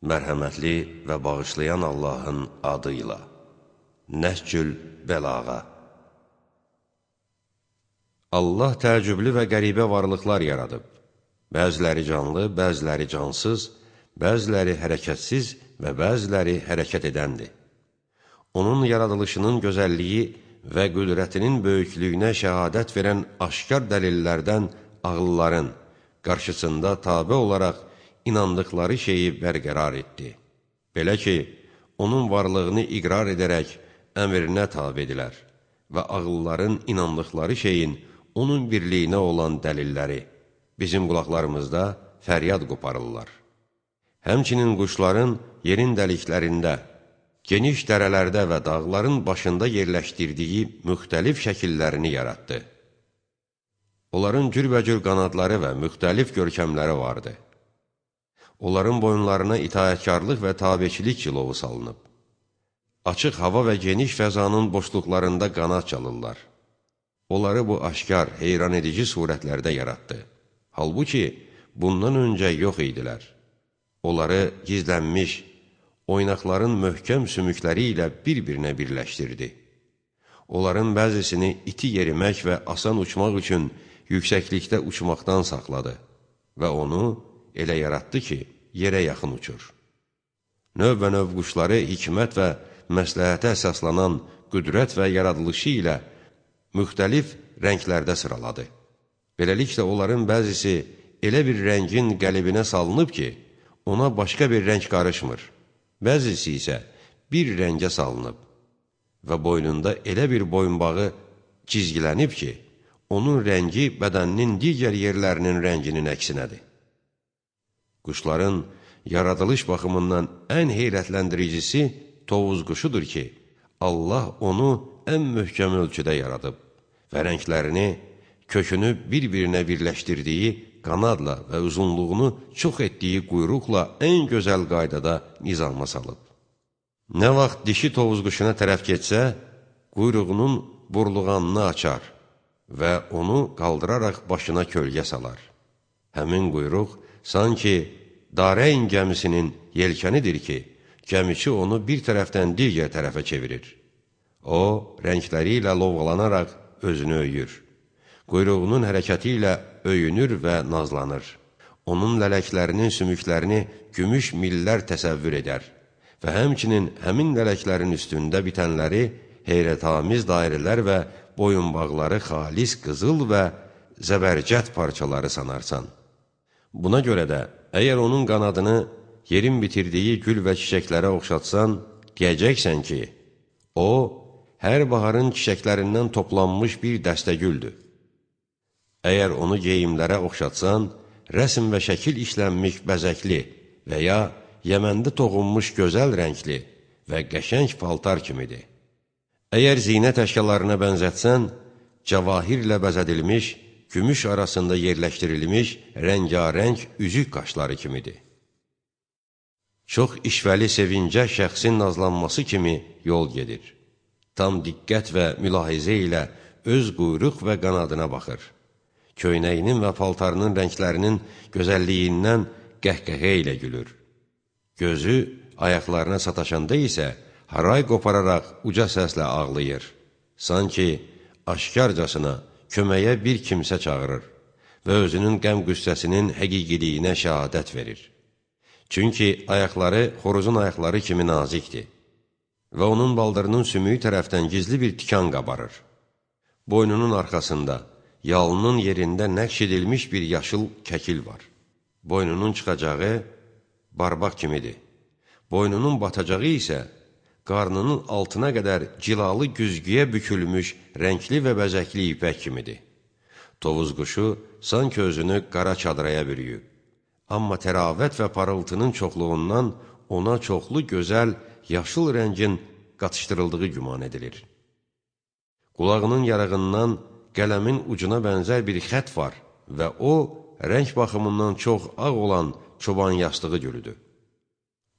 Mərhəmətli və bağışlayan Allahın adıyla. Nəhcül Bəlağa. Allah təəccüblü və qəribə varlıqlar yaradıb. Bəziləri canlı, bəziləri cansız, bəziləri hərəkətsiz və bəziləri hərəkət edəndir. Onun yaradılışının gözəlliyi və qüdrətinin böyüklüyünə şəhadət verən aşkar dəlillərdən ağılların qarşısında tabe olaraq inandıqları şeyi bərqərar etdi. Belə ki, onun varlığını iqrar edərək əmrinə tabe edilər və ağılların inandıqları şeyin onun birliyinə olan dəlilləri bizim qulaqlarımızda fəryad qoparırlar. Həmçinin quşların yerin dəliklərində, geniş dərələrdə və dağların başında yerləşdirdiyi müxtəlif şəkillərini yaratdı. Onların cürbəcür qanadları və müxtəlif görkəmləri vardı. Onların boyunlarına itaətkarlıq və tabeçilik cilovu salınıb. Açıq hava və geniş fəzanın boşluqlarında qanad çalırlar. Onları bu aşkar, heyran edici surətlərdə yaratdı. Halbuki, bundan öncə yox idilər. Onları gizlənmiş, oynaqların möhkəm sümükləri ilə bir-birinə birləşdirdi. Onların bəzisini iti yerimək və asan uçmaq üçün yüksəklikdə uçmaqdan saxladı və onu elə yaratdı ki, yerə yaxın uçur. Növbə-növ quşları hikmət və məsləhətə əsaslanan qüdrət və yaradılışı ilə müxtəlif rənglərdə sıraladı. Beləliklə, onların bəzisi elə bir rəngin qəlibinə salınıb ki, ona başqa bir rəng qarışmır. Bəzisi isə bir rəngə salınıb və boynunda elə bir boyunbağı cizgilənib ki, onun rəngi bədəninin digər yerlərinin rənginin əksinədir. Quşların yaradılış baxımından ən heyrətləndiricisi tovuz quşudur ki, Allah onu ən möhkəm ölçüdə yaradıb və rənglərini, kökünü bir-birinə birləşdirdiyi qanadla və uzunluğunu çox etdiyi quyruqla ən gözəl qaydada nizama salıb. Nə vaxt dişi tovuz quşuna tərəf getsə, quyruğunun burluğanını açar və onu qaldıraraq başına kölgə salar. Həmin quyruq sanki Dareyn gəmisinin yelkənidir ki, gəmiçi onu bir tərəfdən digər tərəfə çevirir. O, rəngləri ilə lovğalanaraq özünü öyür. Quyruğunun hərəkəti ilə öyünür və nazlanır. Onun lələklərinin sümüklərini gümüş millər təsəvvür edər və həmçinin həmin lələklərin üstündə bitənləri heyrətamiz dairələr və boyunbağları xalis qızıl və zəbərcət parçaları sanarsan. Buna görə də, əgər onun qanadını yerin bitirdiyi gül və çiçəklərə oxşatsan, deyəcəksən ki, o, hər baharın çiçəklərindən toplanmış bir dəstə güldür. Əgər onu geyimlərə oxşatsan, rəsm və şəkil işlənmiş bəzəkli və ya Yəməndə toxunmuş gözəl rəngli və qəşəng paltar kimidir. Əgər zinət əşyalarına bənzətsən, cavahirlə bəzədilmiş, gümüş arasında yerləşdirilmiş rəngarəng üzük qaşları kimidir. Çox işvəli sevincə şəxsin nazlanması kimi yol gedir. Tam diqqət və mülahizə ilə öz quyruq və qanadına baxır. Köynəyinin və paltarının rənglərinin gözəlliyindən qəhqəhə ilə gülür. Gözü ayaqlarına sataşanda isə haray qopararaq uca səslə ağlayır. Sanki aşkarcasına köməyə bir kimsə çağırır və özünün qəm-qüssəsinin həqiqiliyinə şəhadət verir. Çünki ayaqları xoruzun ayaqları kimi nazikdir və onun baldırının sümüyü tərəfdən gizli bir tikan qabarır. Boynunun arxasında, yalının yerində nəqş edilmiş bir yaşıl kəkil var. Boynunun çıxacağı barbaq kimidir. Boynunun batacağı isə qarnının altına qədər cilalı güzgüyə bükülmüş rəngli və bəzəkli ipək kimidir. Tovuz quşu sanki özünü qara çadıraya bürüyüb. Amma təravət və parıltının çoxluğundan ona çoxlu gözəl, yaşıl rəngin qatışdırıldığı güman edilir. Qulağının yarığından qələmin ucuna bənzər bir xət var və o, rəng baxımından çox ağ olan çoban yastığı gülüdür.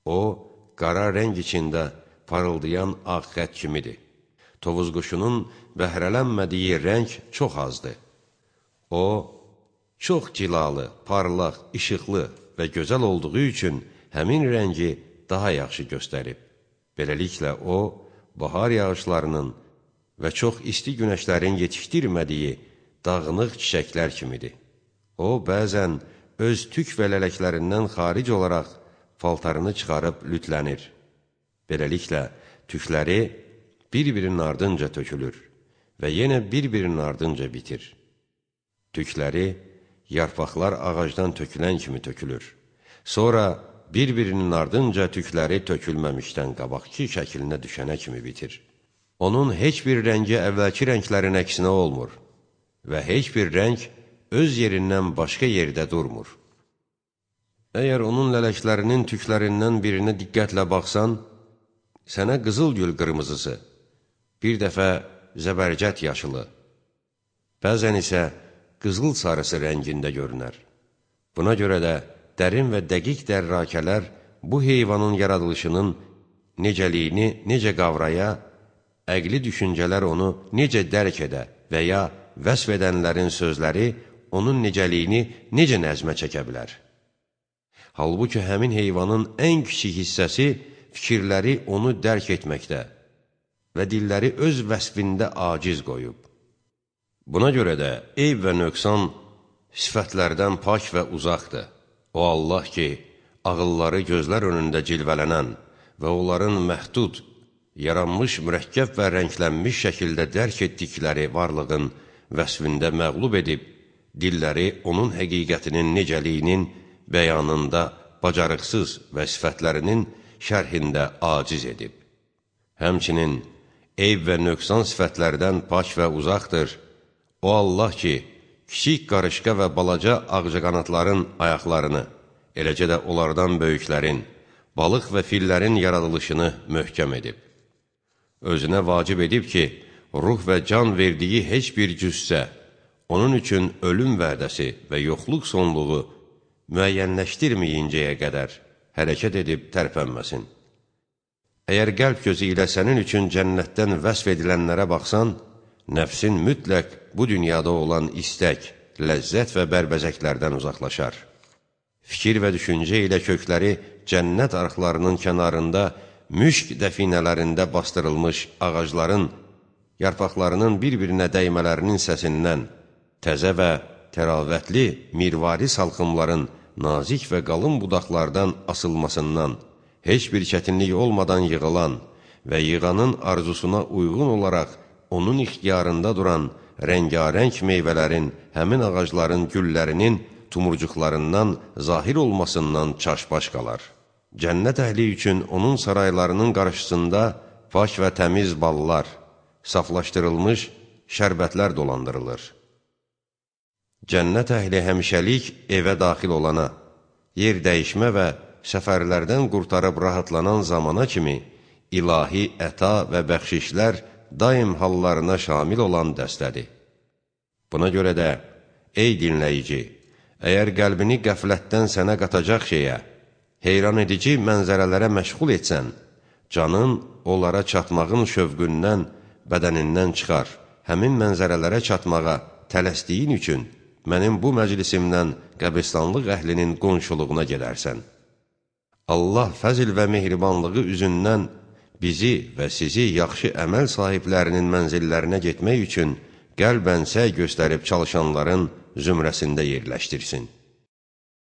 O, qara rəng içində parıldayan ağ xət kimidir. Tovuz quşunun bəhrələnmədiyi rəng çox azdır. O, çox cilalı, parlaq, işıqlı və gözəl olduğu üçün həmin rəngi daha yaxşı göstərib. Beləliklə o, bahar yağışlarının və çox isti günəşlərin yetişdirmədiyi dağınıq çiçəklər kimidir. O, bəzən öz tük və lələklərindən xaric olaraq paltarını çıxarıb lütlənir. Beləliklə, tükləri bir-birinin ardınca tökülür və yenə bir-birinin ardınca bitir. Tükləri yarpaqlar ağacdan tökülən kimi tökülür. Sonra bir-birinin ardınca tükləri tökülməmişdən qabaqki şəklinə düşənə kimi bitir. Onun heç bir rəngi əvvəlki rənglərin əksinə olmur və heç bir rəng öz yerindən başqa yerdə durmur. Əgər onun lələklərinin tüklərindən birinə diqqətlə baxsan, sənə qızılgül qırmızısı, bir dəfə zəbərcət yaşılı, bəzən isə qızıl sarısı rəngində görünər. Buna görə də dərin və dəqiq dərrakələr bu heyvanın yaradılışının necəliyini necə qavraya, əqli düşüncələr onu necə dərk edə və ya vəsf edənlərin sözləri onun necəliyini necə nəzmə çəkə bilər. Halbuki həmin heyvanın ən kiçik hissəsi fikirləri onu dərk etməkdə və dilləri öz vəsfində aciz qoyub. Buna görə də eyb və nöqsan sifətlərdən pak və uzaqdır. O Allah ki, ağılları gözlər önündə cilvələnən və onların məhdud, yaranmış, mürəkkəb və rənglənmiş şəkildə dərk etdikləri varlığın vəsfində məğlub edib, dilləri onun həqiqətinin necəliyinin bəyanında bacarıqsız və sifətlərinin şərhində aciz edib. Həmçinin, eyb və nöqsan sifətlərdən pak və uzaqdır. O Allah ki, kiçik qarışqa və balaca ağcaqanadların ayaqlarını, eləcə də onlardan böyüklərin, balıq və fillərin yaradılışını möhkəm edib. Özünə vacib edib ki, ruh və can verdiyi heç bir cüssə, onun üçün ölüm vədəsi və yoxluq sonluğu müəyyənləşdirməyincəyə qədər hərəkət edib tərpənməsin. Əgər qəlb gözü ilə sənin üçün cənnətdən vəsf edilənlərə baxsan, nəfsin mütləq bu dünyada olan istək, ləzzət və bərbəzəklərdən uzaqlaşar. Fikir və düşüncə ilə kökləri cənnət arxlarının kənarında, müşk dəfinələrində bastırılmış ağacların, yarpaqlarının bir-birinə dəymələrinin səsindən, təzə və təravətli mirvari salxımların nazik və qalın budaqlardan asılmasından, heç bir çətinlik olmadan yığılan və yığanın arzusuna uyğun olaraq onun ixtiyarında duran rəngarəng meyvələrin, həmin ağacların güllərinin tumurcuqlarından zahir olmasından çaşbaş qalar. Cənnət əhli üçün onun saraylarının qarşısında pak və təmiz ballar, saflaşdırılmış şərbətlər dolandırılır. Cənnət əhli həmişəlik evə daxil olana, yer dəyişmə və səfərlərdən qurtarıb rahatlanan zamana kimi ilahi əta və bəxşişlər daim hallarına şamil olan dəstədir. Buna görə də, ey dinləyici, əgər qəlbini qəflətdən sənə qatacaq şeyə, heyran edici mənzərələrə məşğul etsən, canın onlara çatmağın şövqündən, bədənindən çıxar. Həmin mənzərələrə çatmağa tələsdiyin üçün mənim bu məclisimdən qəbristanlıq əhlinin qonşuluğuna gedərsən. Allah fəzil və mehribanlığı üzündən bizi və sizi yaxşı əməl sahiblərinin mənzillərinə getmək üçün qəlbən səy göstərib çalışanların zümrəsində yerləşdirsin.